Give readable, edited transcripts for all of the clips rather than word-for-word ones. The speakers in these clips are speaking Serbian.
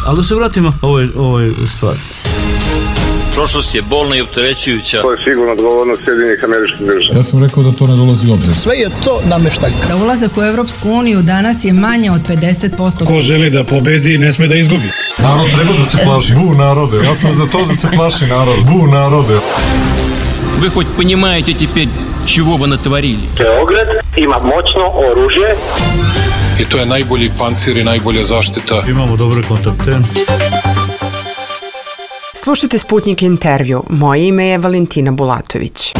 Ali da se vratimo ovoj stvari. Prošlost je bolna i opterećujuća. To je sigurno odgovornost Sjedinjenih Američkih Država. Ja sam rekao da to ne dolazi u obzir. Sve je to nameštaljka. Za ulazak u Evropsku uniju danas je manje od 50%. Ko želi da pobedi, ne sme da izgubi. Narod treba da se plaši. Bu narode. Ja sam za to da se plaši narod. Bu narode. Вы хоть понимаете теперь, чего вы натворили? Beograd ima moćno oružje. I to je najbolji pancir i najbolja zaštita. Imamo dobre kontakte. Slušajte Sputnik intervju. Moje ime je Valentina Bulatović.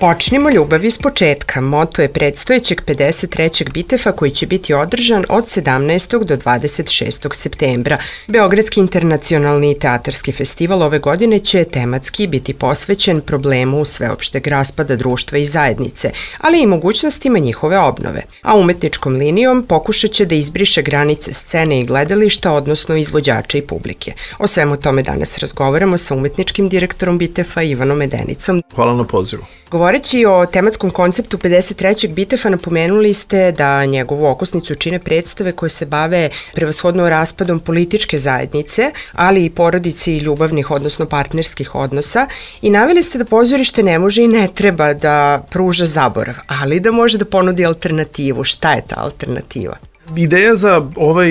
Počnimo ljubav iz početka. Moto je predstojećeg 53. Bitefa koji će biti održan od 17. do 26. septembra. Beogradski internacionalni teatarski festival ove godine će tematski biti posvećen problemu sveopšteg raspada društva i zajednice, ali i mogućnostima njihove obnove. A umetničkom linijom pokušat će da izbriše granice scene i gledališta, odnosno izvođača i publike. O svemu tome danas razgovaramo sa umetničkim direktorom Bitefa Ivanom Medenicom. Hvala na pozivu. Govoreći o tematskom konceptu 53. Bitefa, napomenuli ste da njegovu okosnicu čine predstave koje se bave prevashodno raspadom političke zajednice, ali i porodice i ljubavnih, odnosno partnerskih odnosa, i naveli ste da pozorište ne može i ne treba da pruža zaborav, ali da može da ponudi alternativu. Šta je ta alternativa? Ideja za ovaj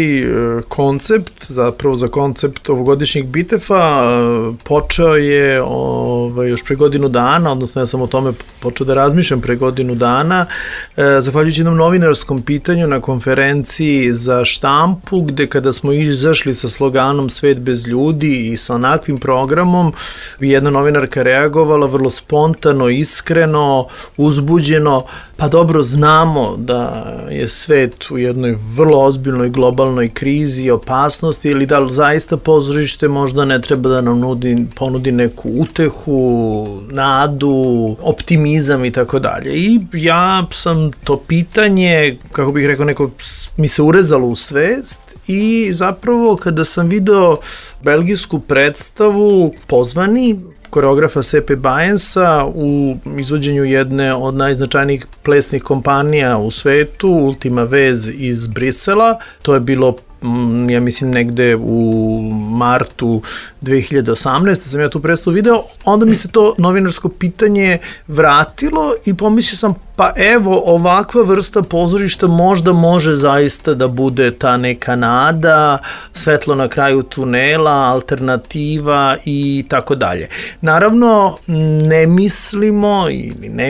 koncept, zapravo za koncept ovogodišnjeg Bitefa, počeo je još pre godinu dana, odnosno ja sam o tome počeo da razmišljam pre godinu dana, zahvaljujući jednom novinarskom pitanju na konferenciji za štampu, gde kada smo izašli sa sloganom Svet bez ljudi i sa onakvim programom, jedna novinarka reagovala vrlo spontano, iskreno, uzbuđeno, pa dobro, znamo da je svet u jednoj vrlo ozbiljnoj globalnoj krizi i opasnosti, ili da li zaista pozorište možda ne treba da nam ponudi neku utehu, nadu, optimizam i tako dalje. I ja sam to pitanje, kako bih rekao, neko mi se urezalo u svest, i zapravo kada sam video belgijsku predstavu Pozvani, koreografa Sepe Bajensa u izvođenju jedne od najznačajnijih plesnih kompanija u svetu, Ultima Vez iz Brisela. To je bilo, ja mislim, negde u martu 2018. sam ja tu predstavu video, onda mi se to novinarsko pitanje vratilo i pomislio sam, pa evo, ovakva vrsta pozorišta možda može zaista da bude ta neka nada, svetlo na kraju tunela, alternativa i tako dalje. Naravno, ne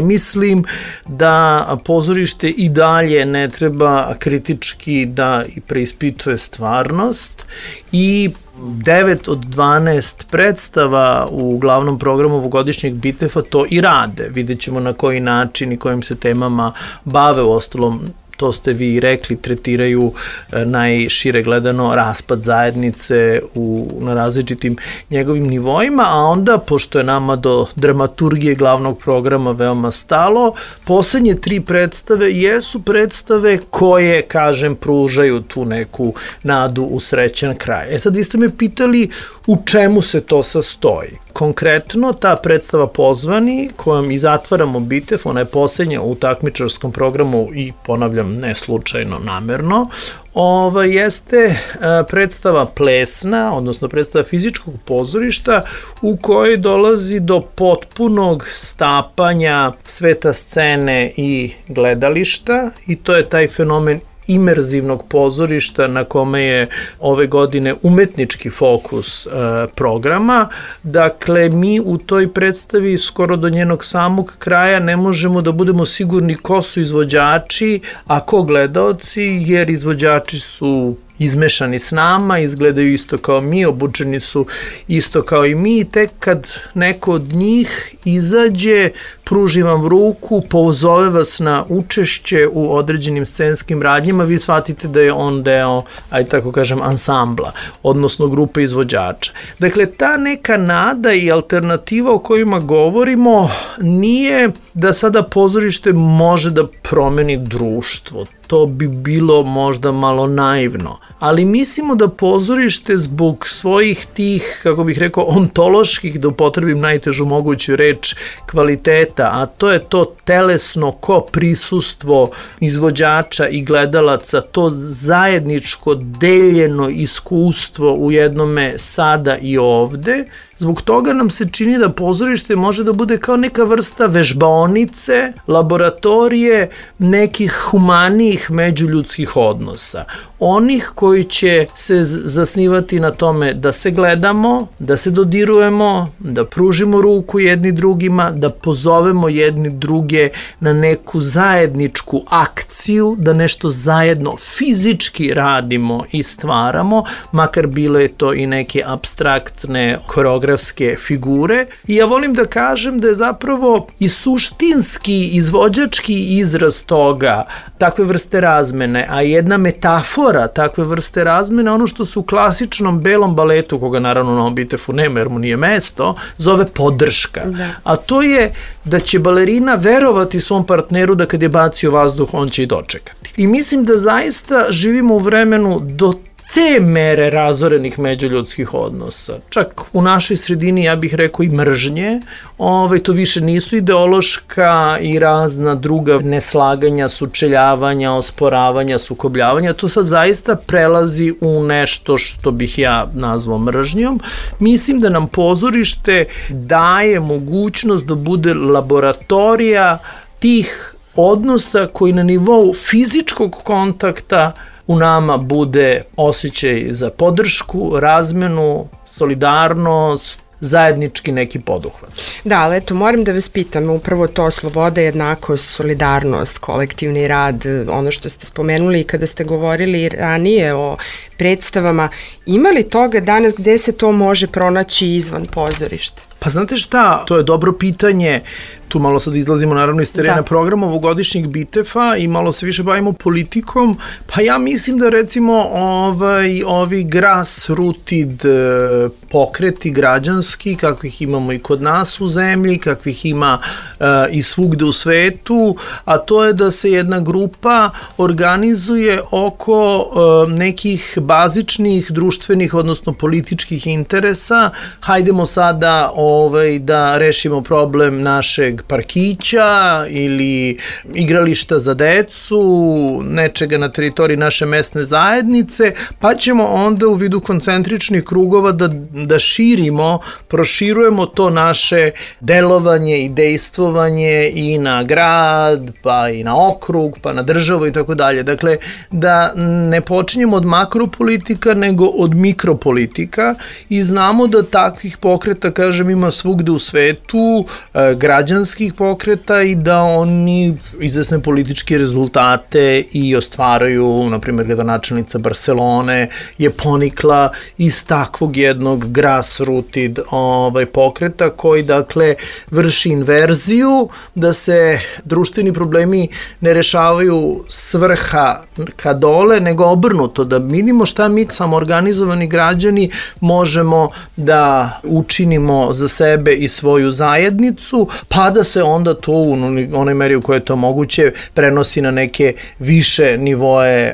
mislim da pozorište i dalje ne treba kritički da preispituje stvarnost, i 9 od 12 predstava u glavnom programu ovogodišnjeg Bitefa to i rade. Vidjet ćemo na koji način i kojim se temama bave. Uostalom, to ste vi rekli, tretiraju najšire gledano raspad zajednice na različitim njegovim nivoima, a onda, pošto je nama do dramaturgije glavnog programa veoma stalo, poslednje 3 predstave jesu predstave koje, kažem, pružaju tu neku nadu u srećan kraj. Sad, vi ste me pitali u čemu se to sastoji. Konkretno, ta predstava Pozvani, kojom i zatvaramo Bitef, ona je poslednja u takmičarskom programu i, ponavljam, ne slučajno, namerno, jeste predstava plesna, odnosno predstava fizičkog pozorišta u kojoj dolazi do potpunog stapanja sveta scene i gledališta, i to je taj fenomen imerzivnog pozorišta na kome je ove godine umetnički fokus programa. Dakle, mi u toj predstavi skoro do njenog samog kraja ne možemo da budemo sigurni ko su izvođači, a ko gledaoci, jer izvođači su izmešani s nama, izgledaju isto kao mi, obučeni su isto kao i mi, i tek kad neko od njih izađe, pruži vam ruku, pozove vas na učešće u određenim scenskim radnjima, vi shvatite da je on deo, ajde tako kažem, ansambla, odnosno grupe izvođača. Dakle, ta neka nada i alternativa o kojima govorimo nije da sada pozorište može da promeni društvo. To bi bilo možda malo naivno. Ali mislimo da pozorište zbog svojih tih, kako bih rekao, ontoloških, da upotrebim najtežu moguću reč, kvaliteta, a to je to telesno prisustvo izvođača i gledalaca, to zajedničko deljeno iskustvo u jednome sada i ovde. Zbog toga nam se čini da pozorište može da bude kao neka vrsta vežbaonice, laboratorije nekih humanijih međuljudskih odnosa. Onih koji će se zasnivati na tome da se gledamo, da se dodirujemo, da pružimo ruku jedni drugima, da pozovemo jedni druge na neku zajedničku akciju, da nešto zajedno fizički radimo i stvaramo, makar bile to i neke apstraktne koreografske figure. I ja volim da kažem da je zapravo i suštinski, izvođački izraz toga, takve vrste razmene, a jedna metafora takve vrste razmene, ono što se u klasičnom belom baletu, koga naravno na Bitefu nema jer mu nije mesto, zove podrška. Da. A to je da će balerina verovati svom partneru da kad je bacio vazduh, on će i dočekati. I mislim da zaista živimo u vremenu do te mere razorenih međuljudskih odnosa. Čak u našoj sredini, ja bih rekao, i mržnje. To više nisu ideološka i razna druga neslaganja, sučeljavanja, osporavanja, sukobljavanja. To sad zaista prelazi u nešto što bih ja nazvao mržnjom. Mislim da nam pozorište daje mogućnost da bude laboratorija tih odnosa koji na nivou fizičkog kontakta u nama bude osjećaj za podršku, razmenu, solidarnost, zajednički neki poduhvat. Da, ali eto, moram da vas pitam, upravo to sloboda, jednakost, solidarnost, kolektivni rad, ono što ste spomenuli i kada ste govorili ranije o predstavama, ima li toga danas gde se to može pronaći izvan pozorišta? Pa znate šta, to je dobro pitanje, tu malo sad izlazimo naravno iz terena programa ovogodišnjeg Bitefa i malo se više bavimo politikom, pa ja mislim da recimo ovi grassrooted pokreti građanski, kakvih imamo i kod nas u zemlji, kakvih ima i svugde u svetu, a to je da se jedna grupa organizuje oko nekih bazičnih društvenih, odnosno političkih interesa. Hajdemo sada da rešimo problem našeg parkića ili igrališta za decu, nečega na teritoriji naše mesne zajednice, pa ćemo onda u vidu koncentričnih krugova da širimo, proširujemo to naše delovanje i dejstvovanje i na grad, pa i na okrug, pa na državu i tako dalje. Dakle, da ne počinjemo od makropolitika, nego od mikropolitika i znamo da takvih pokreta, kažem, ima svugde u svetu, građanskih pokreta i da oni izvesne političke rezultate i ostvaraju, na primjer, gradonačelnica Barcelone je ponikla iz takvog jednog grassrooted pokreta koji, dakle, vrši inverziju, da se društveni problemi ne rešavaju s vrha ka dole, nego obrnuto, da vidimo šta mi samoorganizovani građani možemo da učinimo za sebe i svoju zajednicu, pa da se onda to u onoj meri u kojoj je to moguće prenosi na neke više nivoe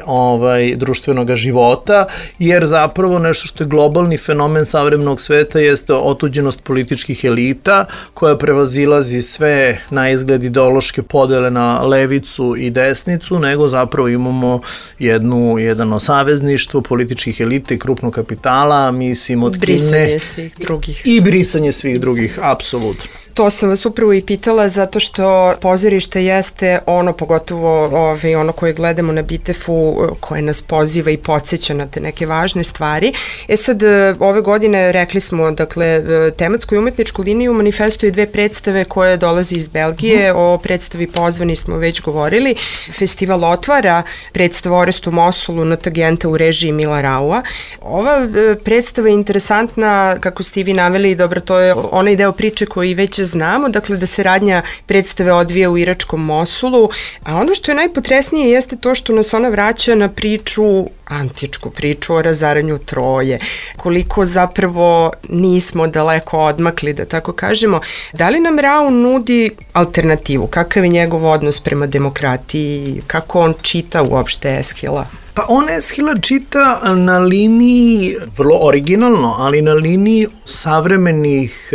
društvenog života, jer zapravo nešto što je globalni fenomen savremenog sveta jeste otuđenost političkih elita koja prevazilazi sve na izgled ideološke podele na levicu i desnicu, nego zapravo imamo jedno savezništvo političkih elita i krupnog kapitala, mislim od Kine. Brisanje svih drugih. I brisanje svih drugih, apsolutno. To sam vas upravo i pitala zato što pozorište jeste ono, pogotovo ono koje gledamo na Bitefu, koje nas poziva i podsjeća na te neke važne stvari. Sad, ove godine rekli smo, dakle, tematsku i umetničku liniju manifestuje dve predstave koje dolaze iz Belgije, o predstavi Pozvani smo već govorili. Festival otvara predstava Orest u Mosulu na Tagenta u režiji Mila Raua. Ova predstava je interesantna, kako ste vi naveli, dobro, to je onaj deo priče koji već znamo, dakle da se radnja predstave odvija u iračkom Mosulu, a ono što je najpotresnije jeste to što nas ona vraća na antičku priču o razaranju Troje, koliko zapravo nismo daleko odmakli, da tako kažemo. Da li nam Rau nudi alternativu? Kakav je njegov odnos prema demokratiji? Kako on čita uopšte Eshila? Pa on Eshila čita na liniji, vrlo originalno, ali na liniji savremenih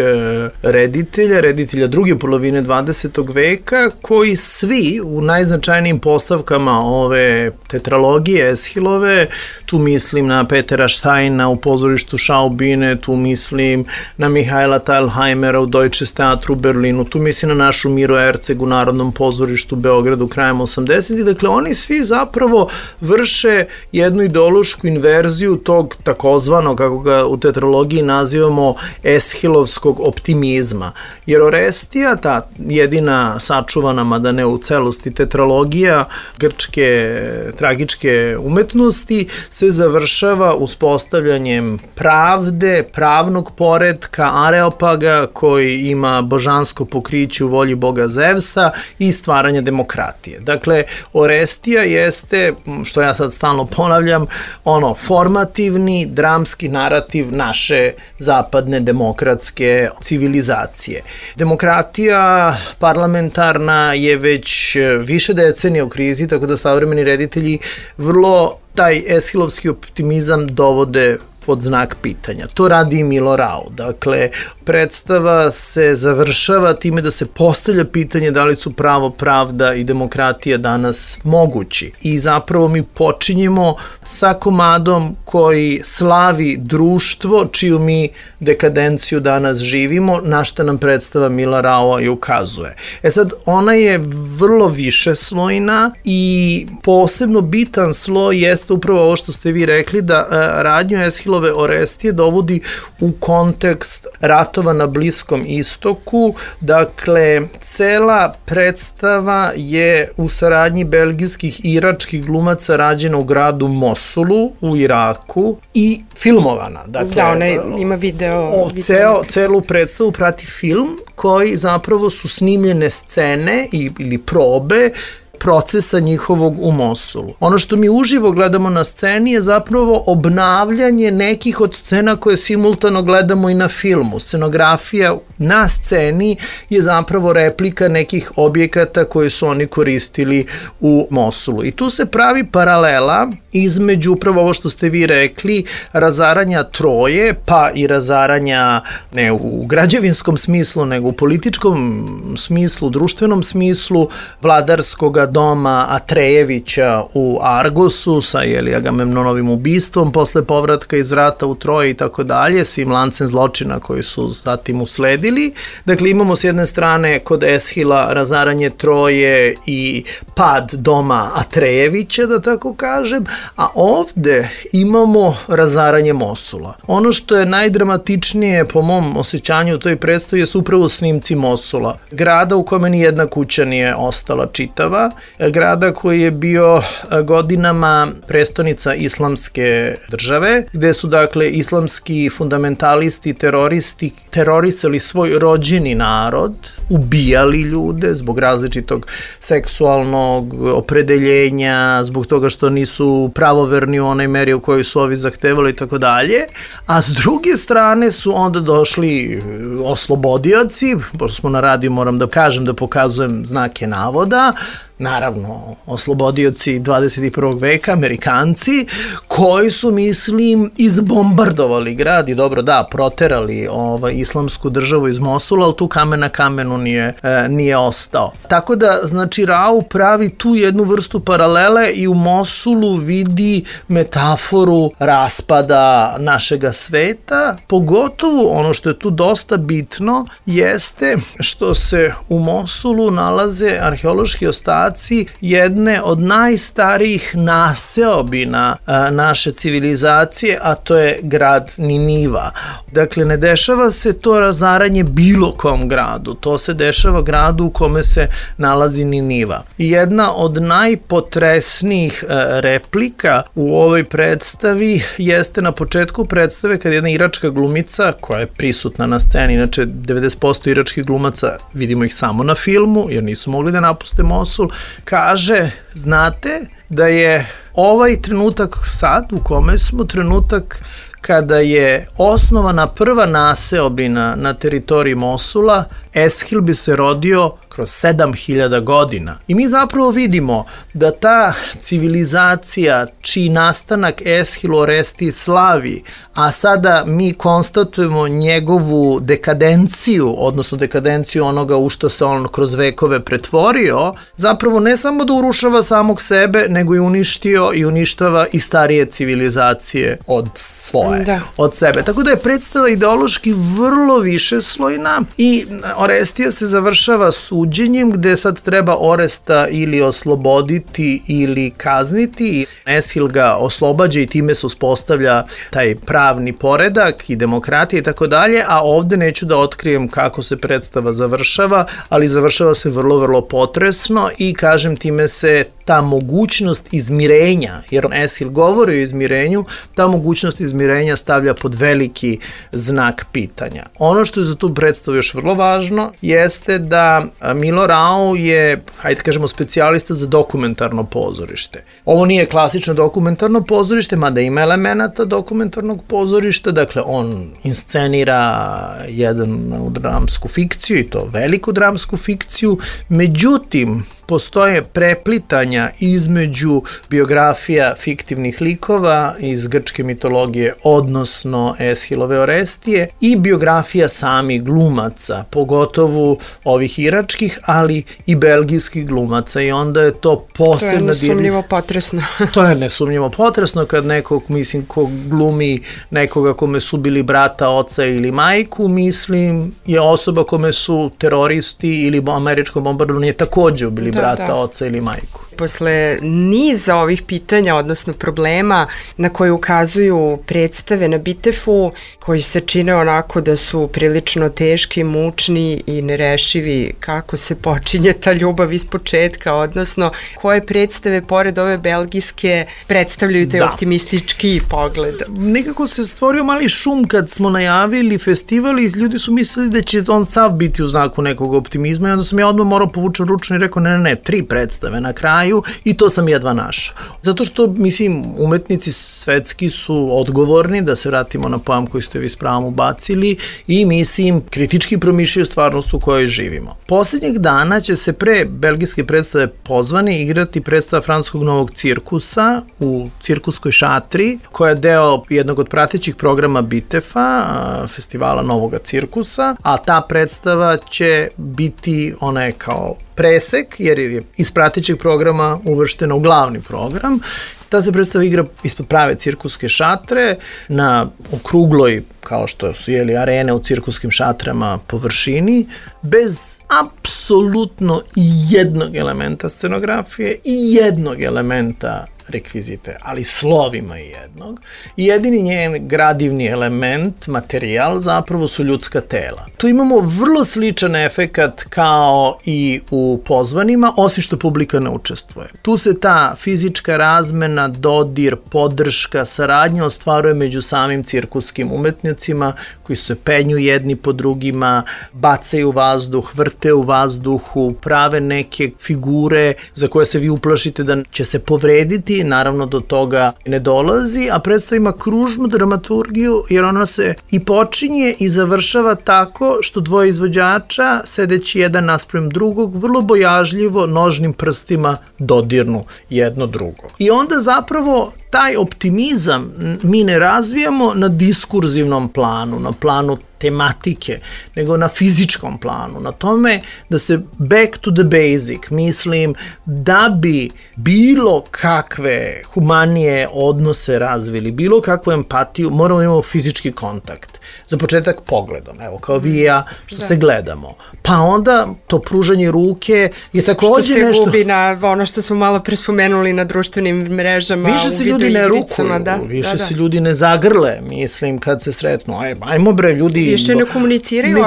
reditelja druge polovine 20. veka, koji svi u najznačajnijim postavkama ove tetralogije Eshilove, tu mislim na Petera Štajna u pozorištu Schaubine, tu mislim na Mihajla Thalheimera u Deutsches Theater u Berlinu, tu mislim na našu Miru Erceg u Narodnom pozorištu u Beogradu krajem 80. Dakle, oni svi zapravo vrše jednu ideološku inverziju tog takozvanog, kako ga u tetralogiji nazivamo, eshilovskog optimizma. Jer Orestija, ta jedina sačuvana, mada ne u celosti, tetralogija grčke tragičke umetnosti, se završava uspostavljanjem pravde, pravnog poretka, Areopaga koji ima božansko pokriće u volji boga Zevsa i stvaranja demokratije. Dakle, Orestija jeste, što ja sad stalno ponavljam, formativni, dramski narativ naše zapadne demokratske civilizacije. Demokratija parlamentarna je već više decenija u krizi, tako da savremeni reditelji vrlo taj eshilovski optimizam dovode pod znak pitanja. To radi i Milo Rau. Dakle, predstava se završava time da se postavlja pitanje da li su pravo, pravda i demokratija danas mogući. I zapravo mi počinjemo sa komadom koji slavi društvo čiju mi dekadenciju danas živimo, na šta nam predstava Mila Raua i ukazuje. Sad, ona je vrlo višeslojna i posebno bitan sloj jeste upravo ovo što ste vi rekli, da radnju Eshilove Orestije dovodi u kontekst ratova na Bliskom istoku. Dakle, cela predstava je u saradnji belgijskih i iračkih glumaca rađena u gradu Mosulu u Iraku i filmovana. Dakle, da, ona ima video. Celu predstavu prati film koji zapravo su snimljene scene ili probe procesa njihovog u Mosulu. Ono što mi uživo gledamo na sceni je zapravo obnavljanje nekih od scena koje simultano gledamo i na filmu. Scenografija na sceni je zapravo replika nekih objekata koje su oni koristili u Mosulu. I tu se pravi paralela između upravo ovo što ste vi rekli, razaranja Troje, pa i razaranja ne u građevinskom smislu, nego u političkom smislu, društvenom smislu, vladarskog doma Atrejevića u Argosu sa Agamemnonovim ubistvom posle povratka iz rata u Troje i tako dalje, svim lancem zločina koji su zatim usledili. Dakle, imamo s jedne strane kod Eshila razaranje Troje i pad doma Atrejevića, da tako kažem, a ovde imamo razaranje Mosula. Ono što je najdramatičnije po mom osjećanju u toj predstavi je upravo snimci Mosula. Grada u kome ni jedna kuća nije ostala čitava, grada koji je bio godinama prestonica islamske države, gde su dakle islamski fundamentalisti, teroristi terorisali svoj rođeni narod, ubijali ljude zbog različitog seksualnog opredeljenja, zbog toga što nisu pravoverni u onoj meri u kojoj su ovi zahtevali i tako dalje, a s druge strane su onda došli oslobodioci, pošto smo na radiju moram da kažem da pokazujem znake navoda, naravno oslobodioci 21. veka, Amerikanci, koji su, mislim, izbombardovali grad i dobro da, proterali islamsku državu iz Mosula, ali tu kamen na kamenu nije ostao. Tako da, znači, Rau pravi tu jednu vrstu paralele i u Mosulu vidi metaforu raspada našega sveta, pogotovo ono što je tu dosta bitno jeste što se u Mosulu nalaze arheološki ostaci jedne od najstarijih naseobina naše civilizacije, a to je grad Niniva. Dakle, ne dešava se to razaranje bilo kom gradu, to se dešava gradu u kome se nalazi Niniva. I jedna od najpotresnijih replika u ovoj predstavi jeste na početku predstave kad jedna iračka glumica, koja je prisutna na sceni, inače 90% iračkih glumaca vidimo ih samo na filmu, jer nisu mogli da napuste Mosul, kaže, znate da je ovaj trenutak sad u kome smo trenutak kada je osnovana prva naseobina na teritoriji Mosula, Eshil bi se rodio kroz 7000 godina. I mi zapravo vidimo da ta civilizacija čiji nastanak Eshil Oresti slavi, a sada mi konstatujemo njegovu dekadenciju, odnosno dekadenciju onoga u što se on kroz vekove pretvorio, zapravo ne samo da urušava samog sebe, nego i uništio i uništava i starije civilizacije od svoje, od sebe. Tako da je predstava ideološki vrlo višeslojna i Orestija se završava suđenjem gde sad treba Oresta ili osloboditi ili kazniti. Eshil ga oslobađa i time se uspostavlja taj pravni poredak i demokratija i tako dalje, a ovde neću da otkrijem kako se predstava završava, ali završava se vrlo, vrlo potresno i kažem time se ta mogućnost izmirenja, jer Eshil govori o izmirenju, ta mogućnost izmirenja stavlja pod veliki znak pitanja. Ono što je za tu predstavu još vrlo važno jeste da Milo Rau je, hajde kažemo, specijalista za dokumentarno pozorište. Ovo nije klasično dokumentarno pozorište, mada ima elemenata dokumentarnog pozorišta, dakle on inscenira jednu dramsku fikciju i to veliku dramsku fikciju, međutim, postoje preplitanja između biografija fiktivnih likova iz grčke mitologije, odnosno Eshilove Orestije, i biografija samih glumaca, pogotovo ovih iračkih, ali i belgijskih glumaca, i onda je to posebno... To je nesumnjivo potresno. To je nesumnjivo potresno kad nekog, mislim, ko glumi nekoga kome su bili brata, oca ili majku, mislim, je osoba kome su teroristi ili američko bombardovanje takođe bili brata, oca ili majku. Posle niza ovih pitanja, odnosno problema na koje ukazuju predstave na Bitefu, koji se čine onako da su prilično teški, mučni i nerešivi, kako se počinje ta ljubav iz početka, odnosno koje predstave pored ove belgijske predstavljaju taj optimistički pogled. Nekako se stvorio mali šum kad smo najavili festival i ljudi su mislili da će on sav biti u znaku nekog optimizma i onda sam ja odmah morao povučen ručno i rekao ne, 3 predstave na kraju i to sam jedva našao. Zato što, mislim, umetnici svetski su odgovorni, da se vratimo na pojam koji ste vi s pravom ubacili, i mislim, kritički promišljaju stvarnost u kojoj živimo. Poslednjeg dana će se pre belgijske predstave pozvani igrati predstava francuskog novog cirkusa u cirkuskoj šatri, koja je deo jednog od pratećih programa Bitefa, festivala Novoga cirkusa, a ta predstava će biti, ona je kao presek, jer je iz pratećeg programa uvrštena u glavni program. Ta se predstava igra ispod prave cirkuske šatre, na okrugloj, kao što su arene u cirkuskim šatrama, površini, bez apsolutno jednog elementa scenografije i jednog elementa rekvizite, ali slovima jednog. I jedini njen gradivni element, materijal, zapravo su ljudska tela. Tu imamo vrlo sličan efekat kao i u pozvanima, osim što publika ne učestvuje. Tu se ta fizička razmena, dodir, podrška, saradnja ostvaruje među samim cirkuskim umetnicima koji se penju jedni po drugima, bacaju vazduh, vrte u vazduhu, prave neke figure za koje se vi uplašite da će se povrediti, naravno do toga ne dolazi, a predstava ima kružnu dramaturgiju jer ona se i počinje i završava tako što dvoje izvođača, sedeći jedan naspram drugog, vrlo bojažljivo nožnim prstima dodirnu jedno drugo. I onda zapravo taj optimizam mi ne razvijamo na diskurzivnom planu, na planu tematike, nego na fizičkom planu, na tome da se back to the basic, mislim, da bi bilo kakve humanije odnose razvili, bilo kakvu empatiju, moramo da imamo fizički kontakt. Za početak pogledom, evo, kao vi i ja, što se gledamo. Pa onda to pružanje ruke je takođe nešto... Što se gubi na ono što smo malo prespomenuli na društvenim mrežama, u videima. ljudi ne rukuju, više se ljudi ne zagrle, mislim, kad se sretnu. Ajmo bre, ljudi... Više ne komuniciraju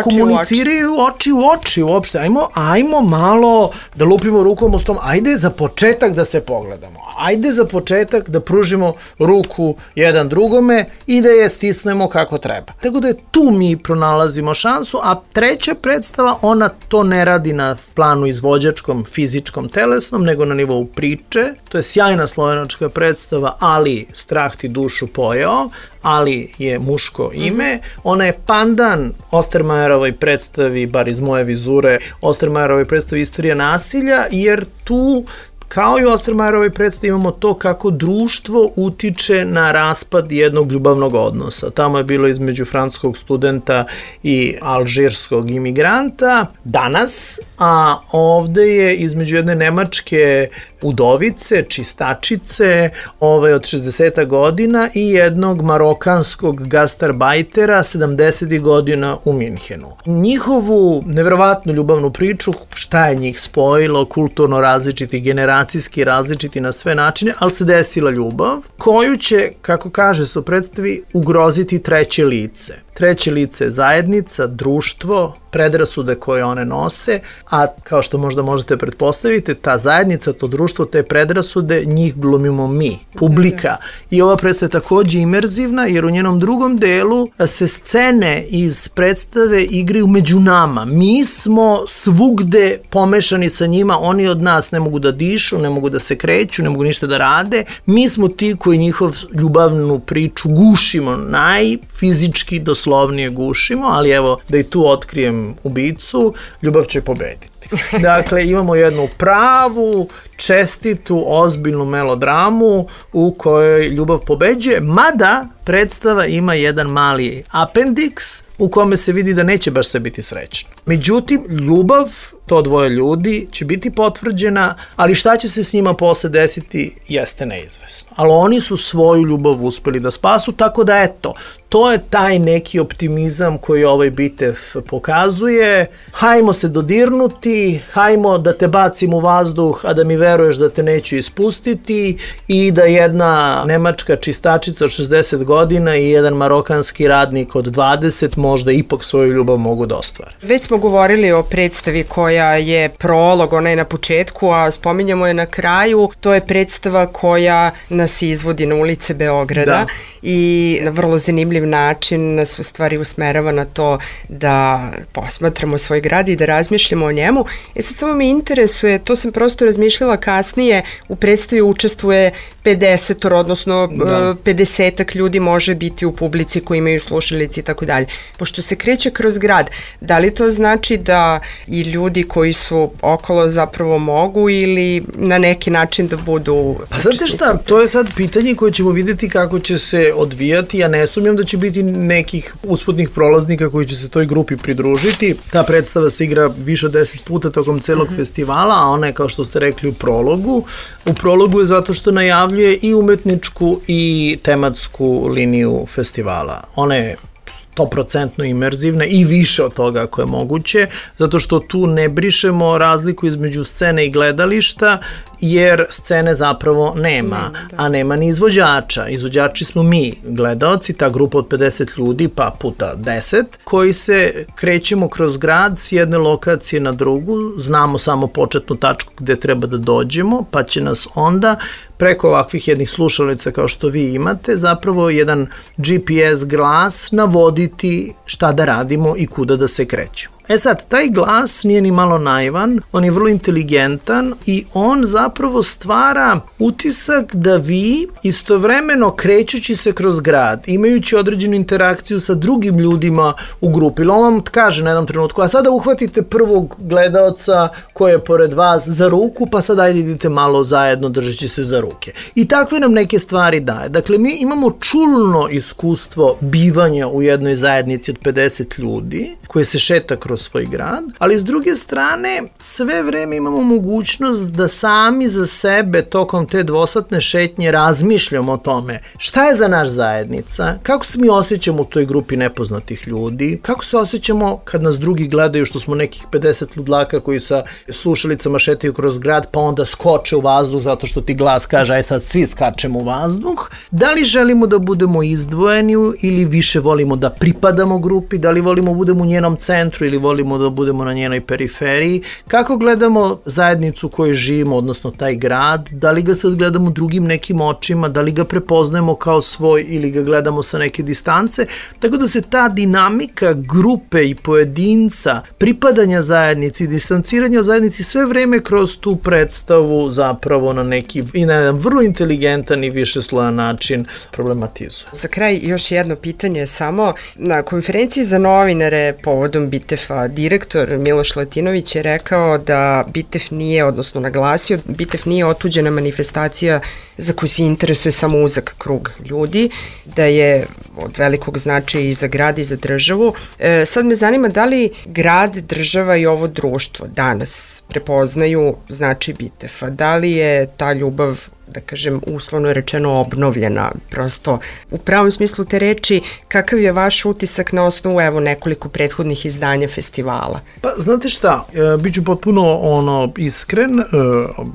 oči u oči uopšte. Ajmo malo da lupimo rukom u stom. Ajde za početak da se pogledamo. Ajde za početak da pružimo ruku jedan drugome i da je stisnemo kako treba. Tako da je tu mi pronalazimo šansu, a treća predstava, ona to ne radi na planu izvođačkom, fizičkom, telesnom, nego na nivou priče. To je sjajna slovenačka predstava, Ali strah ti dušu pojeo, Ali je muško ime. Ona je pandan Ostermajerovoj predstavi, bar iz moje vizure, Ostermajerovoj predstavi Istorija nasilja, jer tu kao i u Ostermajerovoj predstavi imamo to kako društvo utiče na raspad jednog ljubavnog odnosa. Tamo je bilo između francuskog studenta i alžirskog imigranta danas, a ovde je između jedne nemačke udovice, čistačice, od 60 godina i jednog marokanskog gastarbajtera 70 godina u Minhenu. Njihovu neverovatnu ljubavnu priču, šta je njih spojilo, kulturno različiti, generacijski različiti na sve načine, ali se desila ljubav, koju će, kako kaže se u predstavi, ugroziti treće lice. Treće lice je zajednica, društvo, predrasude koje one nose, a kao što možda možete pretpostaviti, ta zajednica, to društvo, te predrasude, njih glumimo mi, publika. I ova predstava je takođe imerzivna, jer u njenom drugom delu se scene iz predstave igraju među nama. Mi smo svugde pomešani sa njima, oni od nas ne mogu da dišu, ne mogu da se kreću, ne mogu ništa da rade. Mi smo ti koji njihov ljubavnu priču gušimo, najfizički doslovnije gušimo, ali evo da i tu otkrijem ubicu, ljubav će pobediti. Dakle, imamo jednu pravu, čestitu, ozbiljnu melodramu u kojoj ljubav pobeđuje, mada predstava ima jedan mali apendiks u kome se vidi da neće baš sve biti srećno. Međutim, ljubav, to dvoje ljudi, će biti potvrđena, ali šta će se s njima posle desiti, jeste neizvesno. Ali oni su svoju ljubav uspeli da spasu, tako da eto, to je taj neki optimizam koji ovaj bitev pokazuje. Hajmo se dodirnuti, hajmo da te bacim u vazduh, a da mi veruješ da te neću ispustiti, i da jedna nemačka čistačica od 60 godina i jedan marokanski radnik od 20 možda ipak svoju ljubav mogu da ostvare. Već smo govorili o predstavi koja je prolog, ona je na početku, a spominjamo je na kraju. To je predstava koja nas izvodi na ulice Beograda i na vrlo zanimljiv način nas u stvari usmerava na to da posmatramo svoj grad i da razmišljamo o njemu. Sad samo me interesuje, to sam prosto razmišljala kasnije, u predstavi učestvuje 50, odnosno 50 ljudi može biti u publici koji imaju slušalice i tako dalje. Pošto se kreće kroz grad, da li to znači da i ljudi koji su okolo zapravo mogu ili na neki način da budu... Pa znate šta, to je sad pitanje koje ćemo vidjeti kako će se odvijati. Ja ne sumnjam da će biti nekih usputnih prolaznika koji će se toj grupi pridružiti. Ta predstava se igra više od 10 puta tokom celog festivala, a ona je, kao što ste rekli, u prologu. U prologu je zato što najavljuje i umetničku i tematsku liniju festivala. Ona je 100% imerzivna i više od toga ako je moguće, zato što tu ne brišemo razliku između scene i gledališta, jer scene zapravo nema, a nema ni izvođača. Izvođači smo mi, gledaoci, ta grupa od 50 ljudi, pa puta 10, koji se krećemo kroz grad s jedne lokacije na drugu, znamo samo početnu tačku gde treba da dođemo, pa će nas onda preko ovakvih jednih slušalica kao što vi imate, zapravo jedan GPS glas navoditi šta da radimo i kuda da se krećemo. Sad, taj glas nije ni malo naivan, on je vrlo inteligentan i on zapravo stvara utisak da vi istovremeno krećući se kroz grad, imajući određenu interakciju sa drugim ljudima u grupi, ili on vam kaže na jednom trenutku, a sada uhvatite prvog gledaoca koji je pored vas za ruku, pa sad ajde idite malo zajedno držeći se za ruke. I takve nam neke stvari daje. Dakle, mi imamo čulno iskustvo bivanja u jednoj zajednici od 50 ljudi, koje se šeta kroz svoj grad, ali s druge strane sve vreme imamo mogućnost da sami za sebe tokom te dvosatne šetnje razmišljamo o tome šta je za naš zajednica, kako se mi osjećamo u toj grupi nepoznatih ljudi, kako se osjećamo kad nas drugi gledaju što smo nekih 50 ludlaka koji sa slušalicama šetaju kroz grad pa onda skoče u vazduh zato što ti glas kaže aj sad svi skačemo u vazduh. Da li želimo da budemo izdvojeni ili više volimo da pripadamo grupi, da li volimo da budemo u njenom centru ili volimo da budemo na njenoj periferiji, kako gledamo zajednicu u kojoj živimo, odnosno taj grad, da li ga sad gledamo drugim nekim očima, da li ga prepoznajemo kao svoj ili ga gledamo sa neke distance, tako da se ta dinamika grupe i pojedinca, pripadanja zajednici i distanciranja od zajednici sve vreme kroz tu predstavu zapravo na neki i na jedan vrlo inteligentan i višeslojan način problematizuje. Za kraj još jedno pitanje samo. Na konferenciji za novinare povodom Bitefa direktor Miloš Latinović je rekao da Bitef nije, odnosno naglasio, Bitef nije otuđena manifestacija za koju se interesuje samo uzak krug ljudi, da je od velikog značaja i za grad i za državu. Sad me zanima da li grad, država i ovo društvo danas prepoznaju značaj Bitefa, da li je ta ljubav, da kažem, uslovno rečeno obnovljena, prosto u pravom smislu te reči, kakav je vaš utisak na osnovu evo nekoliko prethodnih izdanja festivala? Pa znate šta, biću potpuno iskren,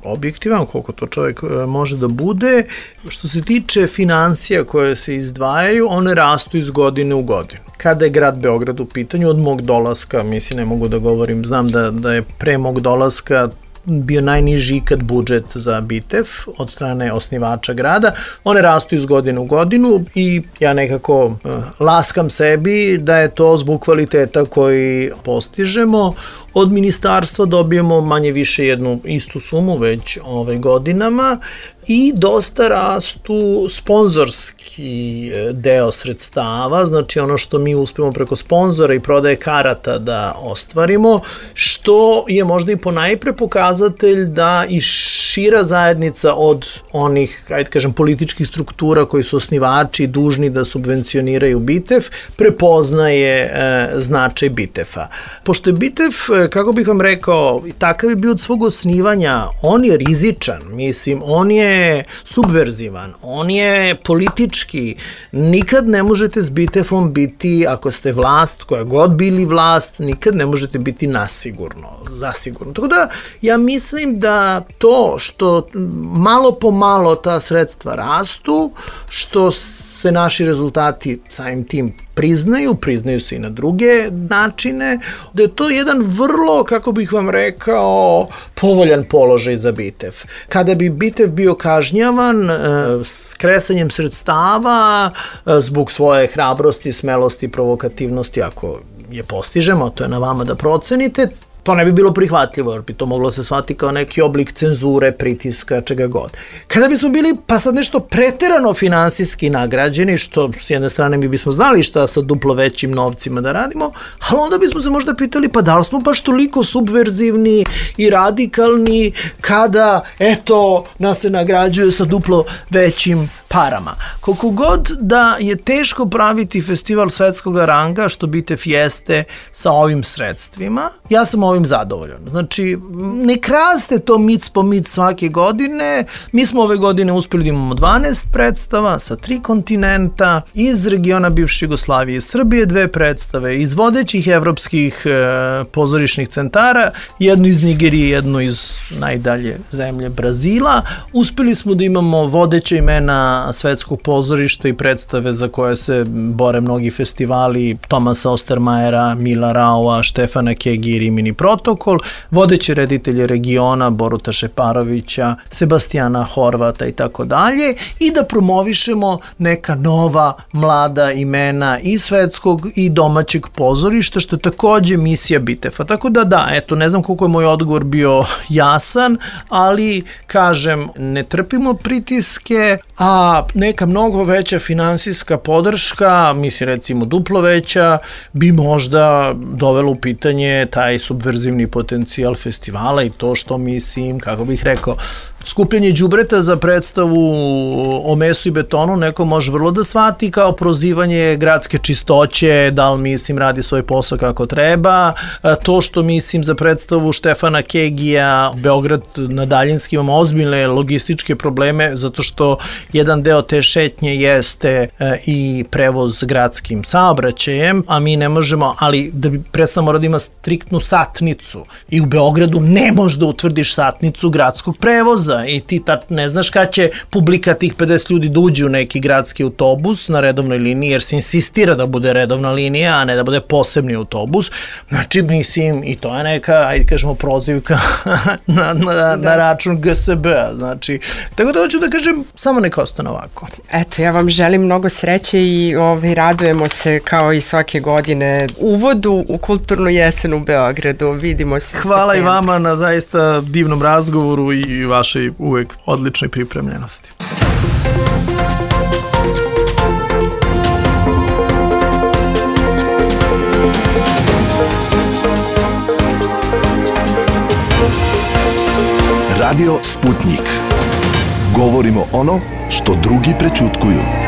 objektivan koliko to čovjek može da bude. Što se tiče financija koje se izdvajaju, one rastu iz godine u godinu. Kada je grad Beograd u pitanju, od mog dolaska, mislim ne mogu da govorim, znam da je pre mog dolaska bio najniži ikad budžet za Bitef od strane osnivača grada. One rastu iz godine u godinu i ja nekako laskam sebi da je to zbog kvaliteta koji postižemo. Od ministarstva dobijemo manje više jednu istu sumu već godinama i dosta rastu sponzorski deo sredstava, znači ono što mi uspemo preko sponzora i prodaje karata da ostvarimo, što je možda i ponajpre pokazatelj da i šira zajednica od onih, ajde kažem, političkih struktura koji su osnivači dužni da subvencioniraju Bitef, prepoznaje značaj Bitefa. Pošto je Bitef, kako bih vam rekao, takav je bio od svog osnivanja, on je rizičan, mislim, on je subverzivan, on je politički, nikad ne možete s Bitefom biti, ako ste vlast, koja god bili vlast, nikad ne možete biti zasigurno. Tako da, ja mislim da to što malo po malo ta sredstva rastu, što se naši rezultati samim tim priznaju se i na druge načine, da je to jedan vrlo, kako bih vam rekao, povoljan položaj za Bitef. Kada bi Bitef bio kažnjavan s kresanjem sredstava zbog svoje hrabrosti, smelosti, provokativnosti, ako je postižemo, to je na vama da procenite, to ne bi bilo prihvatljivo, jer bi to moglo se shvatiti kao neki oblik cenzure, pritiska, čega god. Kada bismo bili pa sad nešto preterano finansijski nagrađeni, što s jedne strane mi bismo znali šta sa duplo većim novcima da radimo, ali onda bismo se možda pitali pa da li smo baš toliko subverzivni i radikalni kada, eto, nas se nagrađuje sa duplo većim parama. Koliko god da je teško praviti festival svetskog ranga, što Bitef jeste sa ovim sredstvima, ja sam ovim zadovoljan. Znači, ne kraste to mic po mic svake godine. Mi smo ove godine uspeli da imamo 12 predstava sa 3 kontinenta, iz regiona bivše Jugoslavije i Srbije 2 predstave, iz vodećih evropskih pozorišnih centara, jednu iz Nigerije, jednu iz najdalje zemlje Brazila. Uspeli smo da imamo vodeće imena svetskog pozorišta i predstave za koje se bore mnogi festivali, Tomasa Ostermajera, Mila Raua, Štefana Kegi i Rimini Protokol, vodeće reditelje regiona, Boruta Šeparovića, Sebastijana Horvata i tako dalje, i da promovišemo neka nova, mlada imena i svetskog i domaćeg pozorišta, što je takođe misija Bitefa. Tako da, eto, ne znam koliko je moj odgovor bio jasan, ali, kažem, ne trpimo pritiske, a neka mnogo veća finansijska podrška, mislim recimo duplo veća, bi možda dovelo u pitanje taj subverzivni potencijal festivala i to što mislim, kako bih rekao, Skupljanje đubreta za predstavu o mesu i betonu neko može vrlo da shvati kao prozivanje gradske čistoće, da li mislim radi svoj posao kako treba. To što mislim za predstavu Štefana Kegija, Beograd na daljinski, imamo ozbiljne logističke probleme zato što jedan deo te šetnje jeste i prevoz gradskim saobraćajem, a mi ne možemo, ali da bi predstava mora da ima striktnu satnicu i u Beogradu ne možeš da utvrdiš satnicu gradskog prevoza i ti ne znaš kada će publika tih 50 ljudi da uđe u neki gradski autobus na redovnoj liniji, jer se insistira da bude redovna linija, a ne da bude posebni autobus. Znači, mislim, i to je neka, ajde kažemo, prozivka na račun GSB-a. Znači, tako da hoću da kažem, samo neka ostane ovako. Eto, ja vam želim mnogo sreće i radujemo se kao i svake godine uvodu u kulturnu jesen u Beogradu. Vidimo se. Hvala i vama na zaista divnom razgovoru i vašoj uvek odličnoj pripremljenosti. Radio Sputnik. Govorimo ono što drugi prećutkuju.